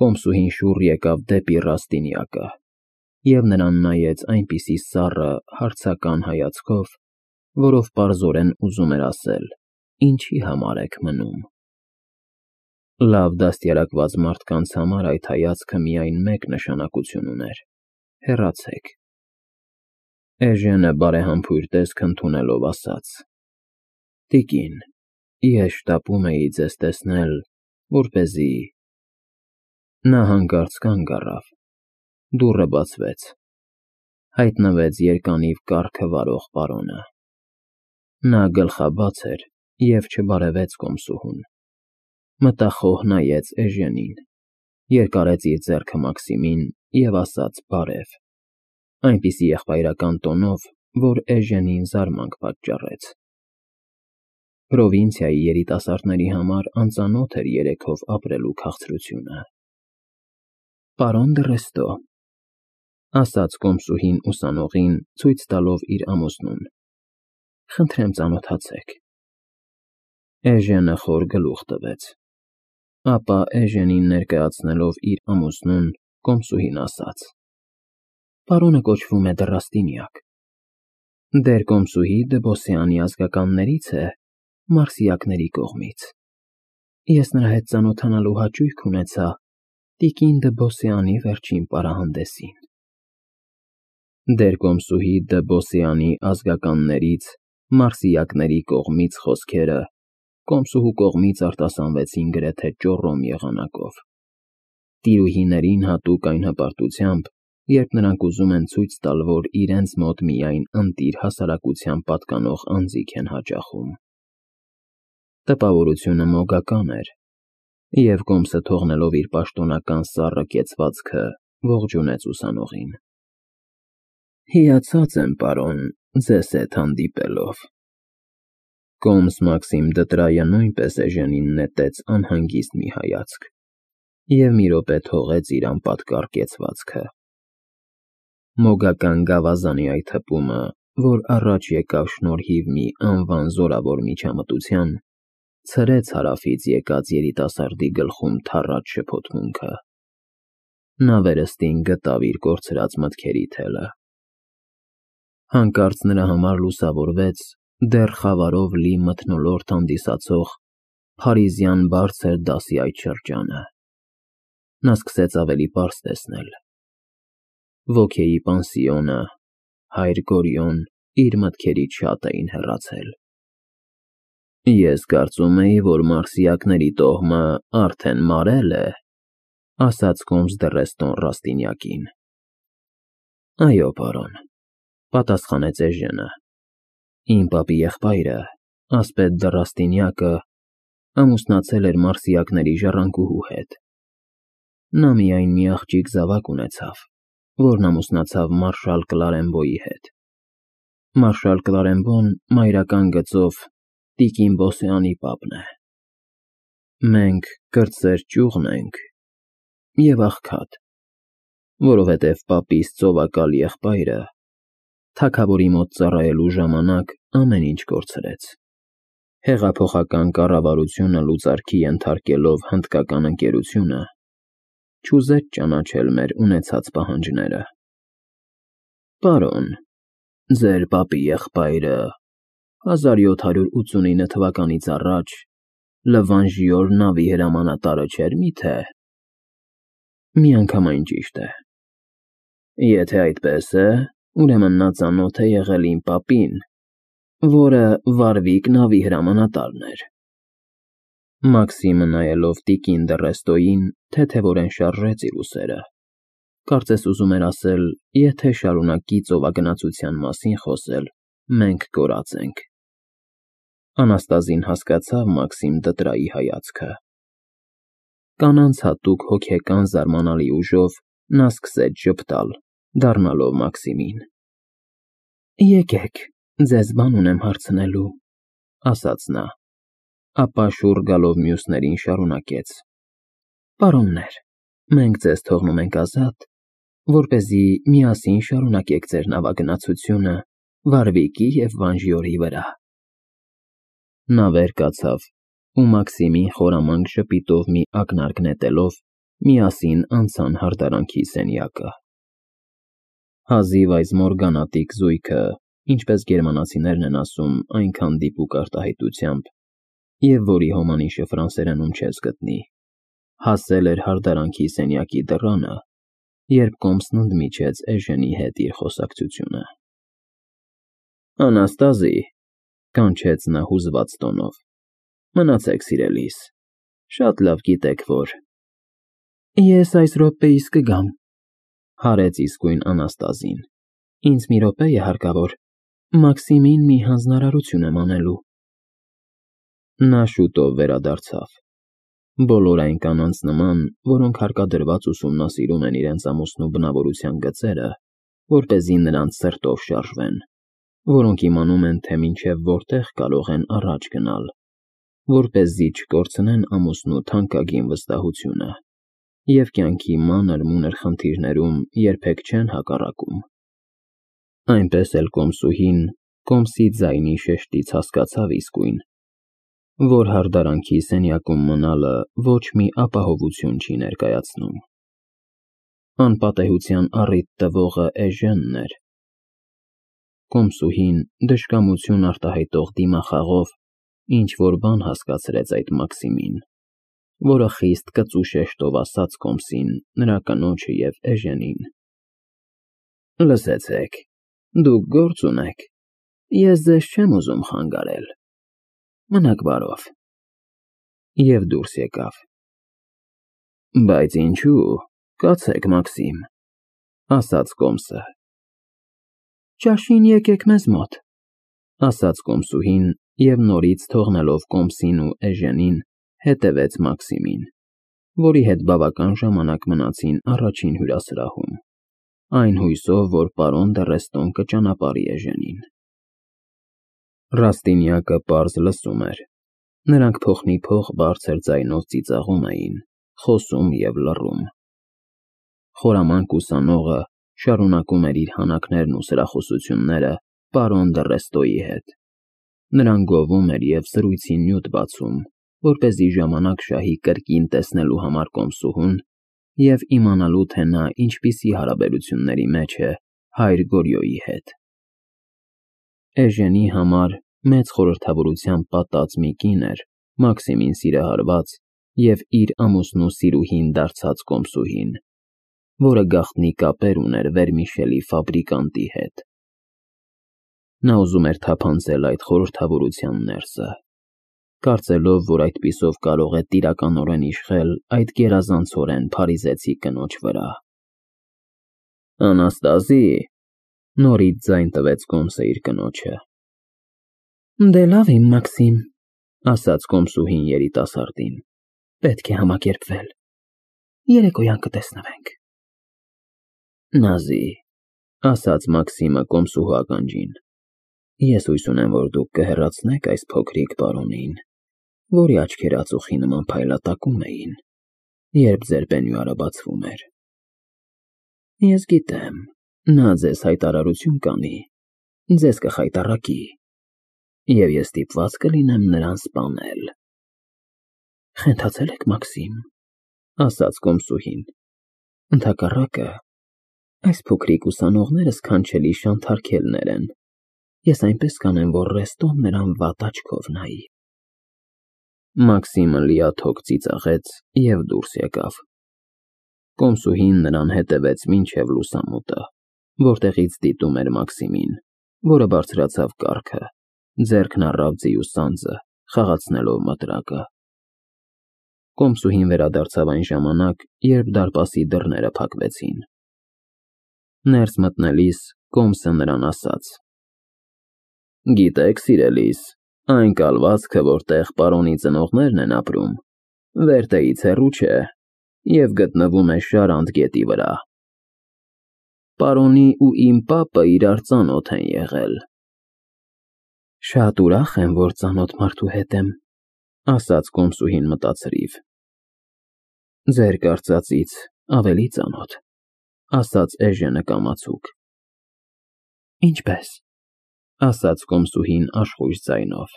Կոմսուհին շուռ եկավ դեպի Ռաստինյակը և նրան նայեց այնպիսի սառը, հարցական հայացքով, որով պարզորեն ուզում էր ասել. «Ինչի համար եք մնում»։ Լավ դաստիարակված մարդկանց համար այդ հայացքը միայն մեկ նշանակություն ուներ. հեռացեք։ Էժենը բարեհամբույր տեսք ընդունելով ասաց. «Տիկին, ես շտապում էի ձեզ տեսնել, որպեսզի…» Նա հանկարծ կանգ առավ։ Դուռը բացվեց։ Հայտնվեց երկանիվ կառքը վարող պարոնը։ Նա գլխաբաց էր և չբարևեց կոմսուհուն։ Մտախոհ նայեց էժենին, երկարեց իր ձեռքը Մաքսիմին և ասաց բարև, այնպիսի եղբայրական տոնով, որ էժենին զարմանք պատճառեց։ Պրովինցիայի երիտասարդների համար անծանոթ էր երեքով ապրելու քաղցրությունը։ «Պարոն դը Ռեստո», ասաց կոմսուհին ուսանողին, ցույց տալով իր ամուսնուն, «խնդրեմ ծանոթացեք»։ Էժենը խոր գլուխ տվեց։ Ապա էժենին ներկայացնելով իր ամուսնուն, կոմսուհին ասաց. «Պարոնը կոչվում է դը Ռաստինյակ։ Դեր կոմսուհի Դըբոսյանի ազգականներից է, մարսիակների կողմից։ Ես նրա հետ ծանոթանալու հաճույք ունեցա տիկին Դըբոսյանի վերջին պարահանդեսին»։ Դեր կոմսուհի Դըբոսյանի ազգականներից, մարսիակների կողմից խոսքերը կոմսուհու կողմից արտասանվեցին գրեթե ճոռոմ եղանակով։ Տիրուհիներին հատուկ այն հպարտությամբ, երբ նրանք ուզում են ցույց տալ, որ իրենց մոտ միայն ընտիր հասարակության պատկանող անձինք են հաճախում։ Տպավորությունը մոգական էր, և կոմսը թողնելով իր պաշտոնական սառը կեցվածքը, ողջունեց ուսանողին։ «Հիացած եմ, պարոն, ձեզ հետ հանդիպելով»։ Կոմս Մաքսիմ Դտրայը նույնպես էժենին նետեց անհանգիստ մի հայացք և մի րոպե թողեց իր անպատկառ կեցվածքը։ Մոգական գավազանի այդ հպումը, որ առաջ եկավ շնորհիվ մի անվան զորավոր միջամտության, ցրեց հարավից եկած երիտասարդի գլխում թառած շփոթմունքը։ Նա վերստին գտավ իր կորցրած մտքերի թելը։ Հանկարծ նրա համար լուսավորվեց դեռ խավարով լի մթնոլորտ հանդիսացող փարիզյան բարձր դասի այդ շրջանը։ Նա սկսեց ավելի պարզ տեսնել։ Ոգեի պանսիոնը, հայր Գորիոն իր մտքերից շատ էին հեռացել։ «Ես կարծում էի, որ մարսիակների տոհմը արդեն մարել է», ասաց կոմս դը Ռեստոն Ռաստինյակին։ «Այո, պարոն», պատասխանեց էժենը։ «Իմ պապի եղբայրը, Ասպետ դը Ռաստինյակը, ամուսնացել էր մարսիակների ժառանգուհու հետ։ Նա միայն մի աղջիկ զավակ ունեցավ, որն ամուսնացավ մարշալ Կլարեմբոյի հետ։ Մարշալ Կլարեմբոն մայրական գծով տիկին Բոսեանի պապն է։ Մենք կրտսեր ճյուղն ենք և աղքատ, որովհետև պապիս ծովակալ եղբայրը թագավորի մոտ ծառայելու ժամանակ ամեն ինչ կորցրեց։ Հեղափոխական կառավարությունը լուծարքի ենթարկելով հնդկական ընկերությունը, չուզեց ճանաչել մեր ունեցած պահանջները։ Պարոն, ձեր պապի եղբայրը 1789 թվականից առաջ Լվանժիոր նավի հրամանատարը չէր միթե։ Միանգամայն ճիշտ է։ Եթե այդպես է, ուրեմն նա ծանոթ է եղել իմ պապին, որը Վարվիկ նավի հրամանատարն էր։ Մաքսիմը նայելով տիկին դը Ռեստոյին, թեթևորեն շարժեց իր ուսերը։ Կարծես ուզում էր ասել. եթե շարունակի ծովագնացության մասին խոսել, մենք կորած ենք։ Անաստազին հասկացավ Մաքսիմ Դտրայի հայացքը։ Կանանց հատուկ հոգեկան զարմանալի ուժով նա սկսեց ժպտալ, դառնալով Մաքսիմին։ «Եկեք, ձեզ բան ունեմ հարցնելու», ասաց նա, ապա շուռ գալով մյուսներին շարունակեց. «Պարոններ, մենք ձեզ թողնում ենք ազատ, որպեսզի միասին շարունակեք ձեր նավագնացությունը Վարվիկի և Վանժիորի վրա»։ Նա վեր կացավ ու Մաքսիմին խորամանկ ժպիտով մի ակնարկ նետելով միասին անցան հարդարանքի սենյակը։ Հազիվ այս մորգանատիկ զույգը, ինչպես գերմանացիներն են ասում, այնքան դիպուկ արտահայտությամբ, և որի հոմանիշը ֆրանսերենում չես գտնի, հասել էր հարդարանքի սենյակի դռանը, երբ Կոմսն ընդմիջեց Էժենի հետ իր խոսակցությունը։ «Անաստազի», կանչեց նա հուզված տոնով, «մնացեք սիրելիս, շատ լավ գիտեք, որ…» «Ես այս րոպեիս կգամ», հարեց իսկույն Անաստազին, «ինձ մի րոպե է հարկավոր, Մաքսիմին մի հանձնարարություն եմ անելու»։ Նա շուտով վերադարձավ։ Բոլոր այն կանանց նման, որոնք հարկադրված ուսումնասիրում են իրենց ամուսնու բնավորության գծերը, որպեսզի նրանց սրտով շարժվեն, որոնք իմանում են, թե մինչև որտեղ կարող են առաջ գնալ, որպեսզի չկորցնեն ամուսնու թանկագին վստահությունը և կյանքի մանր-մունր խնդիրներում երբեք չեն հակառակում։ Այնպես էլ Կոմսուհին Կոմսի ձայնի շեշտից հասկացավ իսկույն, որ հարդարանքի սենյակում մնալը ոչ մի ապահովություն չի ներկայացնում։ Անպատեհության առիթ տվողը Էժենն էր։ Կոմսուհին դժկամություն արտահայտող դիմախաղով ինչ-որ բան հասկացրեց այդ Մաքսիմին, որը խիստ կծու շեշտով ասաց Կոմսին, նրա կնոջը և Էժենին. «Լսեցեք, դուք գործ ունեք, ես ձեզ չեմ ուզում խանգարել, մնաք բարով»։ Եվ դուրս եկավ։ «Բայց ինչու, կացեք, Մաքսիմ», ասաց Կոմսը։ «Ճաշին եկեք մեզ մոտ», ասաց Կոմսուհին և նորից թողնելով Կոմսին ու Էժենին, հետևեց Մաքսիմին, որի հետ բավական ժամանակ մնացին առաջին հյուրասրահում, այն հույսով, որ պարոն Դեռեստոն կճանապարհի Էժենին։ Ռաստինյակը պարզ լսում էր։ Նրանք փոխնիփոխ բարձր ձայնով ծիծաղում էին, խոսում և լռում։ Խորամանկ ուսանողը շարունակում էր իր հանակներն ու սրախոսությունները պարոն Դեռեստոյի հետ։ Նրան գովում էր և զրույցի նյութ բացում, որպեսզի ժամանակ շահի կրկին տեսնելու համար Կոմսուհուն և իմանալու, թե նա ինչպիսի հարաբերությունների մեջ է հայր Գորյոյի հետ։ Էժենի համար մեծ խորհրդավորությամբ պատած մի կին էր Մաքսիմին սիրահարված և իր ամուսնու սիրուհին դարձած Կոմսուհին, որը գաղտնի կապեր ուներ վերմիշելի ֆաբրիկանտի հետ։ Նա ուզում էր թափանցել այդ խորհրդավորության ներսը, կարծելով, որ այդպիսով կարող է տիրականորեն իշխել այդ գերազանցորեն փարիզեցի կնոջ վրա։ «Անաստազի», նորից ձայն տվեց Կոմսը իր կնոջը։ «Դե լավ, իմ Մաքսիմ», ասաց Կոմսուհին երիտասարդին, «պետք է համակերպվել, երեկոյան կտեսնվենք»։ «Նազի», ասաց Մաքսիմը Կոմսուհու ականջին, «ես հույս ունեմ, որ դուք կհեռացնեք այս փոքրիկ պարոնին, որի աչքերը ածուխի նման փայլատակում էին, երբ ձեր պենյուարը բացվում էր։ Ես գիտեմ, նա ձեզ հայտարարություն կանի, ձեզ կխայտառակի, և ես ստիպված կլինեմ նրան սպանել»։ «Խենթացել եք, Մաքսիմ», ասաց Կոմսուհին, «ընդհակառակը, այս փոքրիկ ուսանողները սքանչելի շանթարքելներ են, ես այնպես կանեմ, որ Ռեստոն նրան վատ աչքով նայի»։ Մաքսիմը լիաթոք ծիծաղեց և դուրս եկավ։ Կոմսուհին նրան հետևեց մինչև լուսամուտը, որտեղից դիտում էր Մաքսիմին, որը բարձրացավ կառքը, ձեռքն առավ ձիու սանձը, խաղացնելով մտրակը։ Կոմսուհին վերադարձավ այն ժամանակ, երբ դարպասի դռները փակվեցին։ Ներս մտնելիս Կոմսը նրան ասաց. «Գիտեք, սիրելիս, այն կալվածքը, որտեղ պարոնի ծնողներն են ապրում, Վերտեից հեռու չէ և գտնվում է Շարանտ գետի վրա։ Պարոնի ու իմ պապը իրար ծանոթ են եղել»։ «Շատ ուրախ եմ, որ ծանոթ մարդու հետ եմ», ասաց Կոմսուհին մտածրիվ։ «Ձեր կարծածից ավելի ծանոթ», ասաց Էժենը կամացուկ։ «Ինչպե՞ս», ասաց Կոմսուհին աշխույժ ձայնով։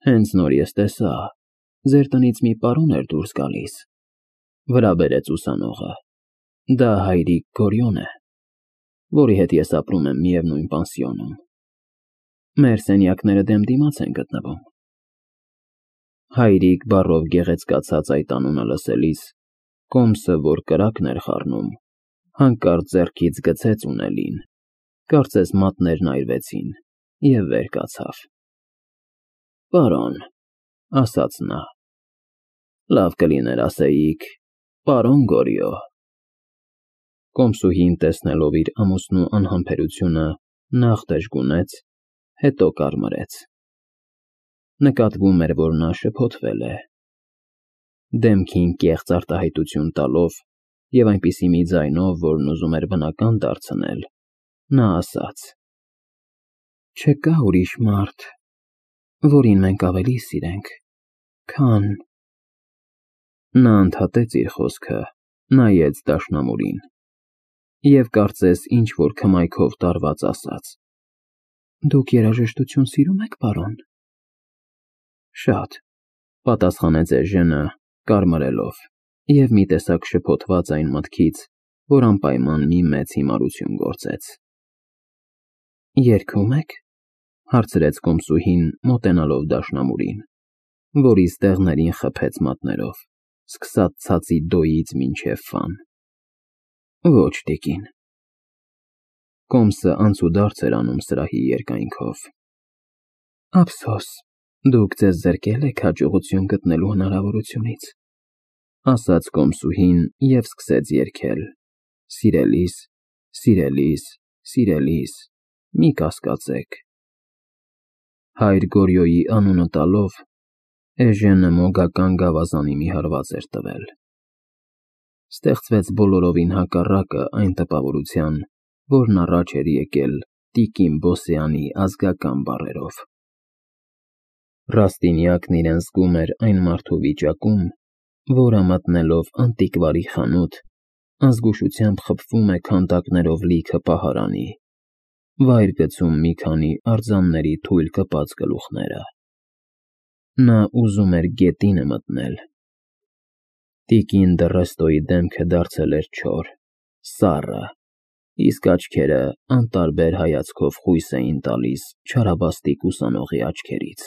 «Հենց նոր ես տեսա, ձեր տնից մի պարոն էր դուրս գալիս, Վրա բերեց ուսանողը։ Դա հայրիկ Գորյուն է, որի հետ ես ապրում եմ միևնույն պանսիոնում։ Մեր սենյակները դեմ դիմաց են գտնվում։ Հայրիկ բառով գեղեցկացած այդ անունը լսելիս, Կոմսը, որ կրակն էր խառնում, հանկարծ ձեռքից գցեց ունելին, կարծես մատներն այրվեցին, և վեր կացավ։ Պարոն, ասաց նա, լավ կլիներ ասեիք, պարոն Գորյո։ Կոմսուհին, տեսնելով իր ամուսնու անհամբերությունը, նախ դժգունեց, հետո կարմրեց։ Նկատվում էր, որ նա շփոթվել է։ Դեմքին կեղծ արտահայտություն տալով և այնպիսի մի ձայնով, որն ուզում էր բնական դարձնել, նա ասաց. Չկա ուրիշ մարդ, որին մենք ավելի սիրենք, քան… Նա ընդհատեց իր խոսքը, նայեց դաշնամուրին և կարծես ինչ-որ քմայքով տարված ասաց. Դուք երաժշտություն սիրում եք, պարոն։ Շատ, պատասխանեց Էժենը, կարմրելով, և մի տեսակ շփոթված այն մտքից, որ անպայման մի մեծ հիմարություն գործեց։ Երգում եք, հարցրեց Կոմսուհին, մոտենալով դաշնամուրին, որի ստեղներին խփեց մատներով, սկսած ցածի դոյից մինչև ֆան։ Ոչ, տիկին։ Կոմսը անցուդարձ էր անում սրահի երկայնքով։ Ափսոս, դուք ձեզ զրկել եք հաջողություն գտնելու հնարավորությունից, ասաց Կոմսուհին և սկսեց երգել. Սիրելիս, սիրելիս, սիրելիս, մի կասկածեք։ Հայր Գորյոյի անունը տալով, Էժենը մոգական գավազանի մի հարված էր տվել։ Ստեղծվեց բոլորովին հակառակը այն տպավորության, որն առաջ էր եկել տիկին Բոսեանի ազգական բառերով։ Ռաստինյակն իրեն զգում էր այն մարդու վիճակում, որը մտնելով անտիկվարի խանութ, ազգուշությամբ խփվում է քանդակներով լիքը պահարանի, վայր գցում մի քանի արձանների թույլ կպած գլուխները։ Նա ուզում էր գետինը մտնել։ Տիկին Դռեստոյի դեմքը դարձել էր չոր, սառը, իսկ աչքերը անտարբեր հայացքով խույս էին տալիս չարաբաստիկ ուսանողի աչքերից։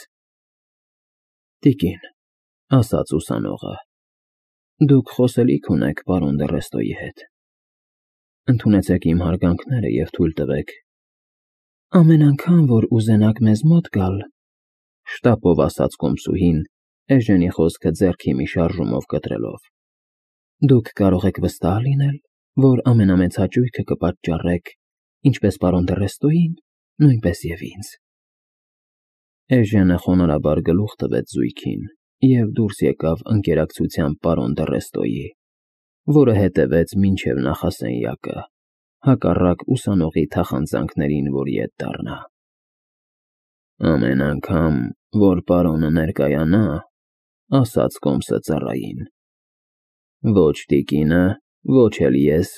Տիկին, ասաց ուսանողը, դուք խոսելիք ունեք պարոն Դռեստոյի հետ։ Ընդունեցեք իմ հարգանքները և թույլ տվեք… Ամեն անգամ, որ ուզենաք մեզ մոտ գալ, շտապով ասաց Կոմսուհին, Էժենի խոսքը ձեռքի մի շարժումով կտրելով, դուք կարող եք վստահ լինել, որ ամենամեծ հաճույքը կպատճառեք ինչպես պարոն Դռեստոյին, նույնպես և ինձ։ Էժենը խոնարհաբար գլուխ տվեց զույգին և դուրս եկավ ընկերակցությամբ պարոն Դռեստոյի, որը հետևեց մինչև նախասենյակը, հակառակ ուսանողի թախանձանքներին, որ ետ դառնա։ Ամեն անգամ, որ պարոնը ներկայանա, ասաց Կոմսը ծառային, ոչ տիկինը, ոչ էլ ես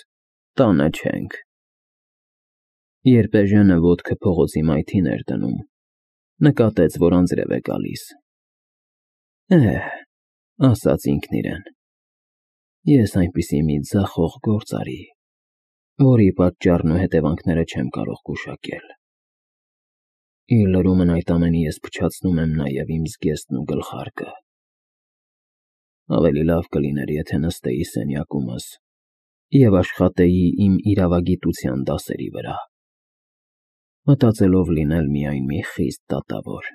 տանը չենք։ Երբ Էժենը ոտքը փողոցի մայթին էր դնում, նկատեց, որ անձրև է գալիս։ Ասաց ինքն իրեն, ես այնպիսի մի ձախող գործ արի, որի պատճառն ու հետևանքները չեմ կարող գուշակել։ Իր լրումն այդ ամենի ես փչացնում եմ նաև իմ զգեստն ու գլխարկը։ Ավելի լավ կլիներ, եթե նստեի սենյակումս և աշխատեի իմ իրավագիտության դասերի վրա, մտածելով լինել միայն մի խիստ դատավոր։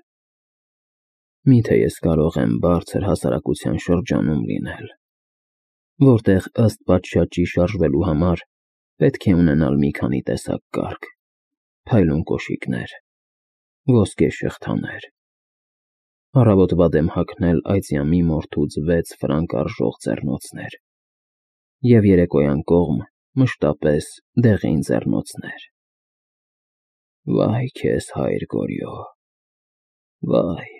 Միթե ես կարող եմ բարձր հասարակության շրջանում լինել, որտեղ ըստ պատշաճի շարժվելու համար պետք է ունենալ մի քանի տեսակ կարգ, փայլուն կոշիկներ, ոսկե շղթաներ, առավոտվա դեմ հագնել այծյամի մորթուց 6 ֆրանկ արժող ձեռնոցներ և երեկոյան կողմ մշտապես դեղին ձեռնոցներ։ Վայ քեզ, հայր Գորյո, վայ։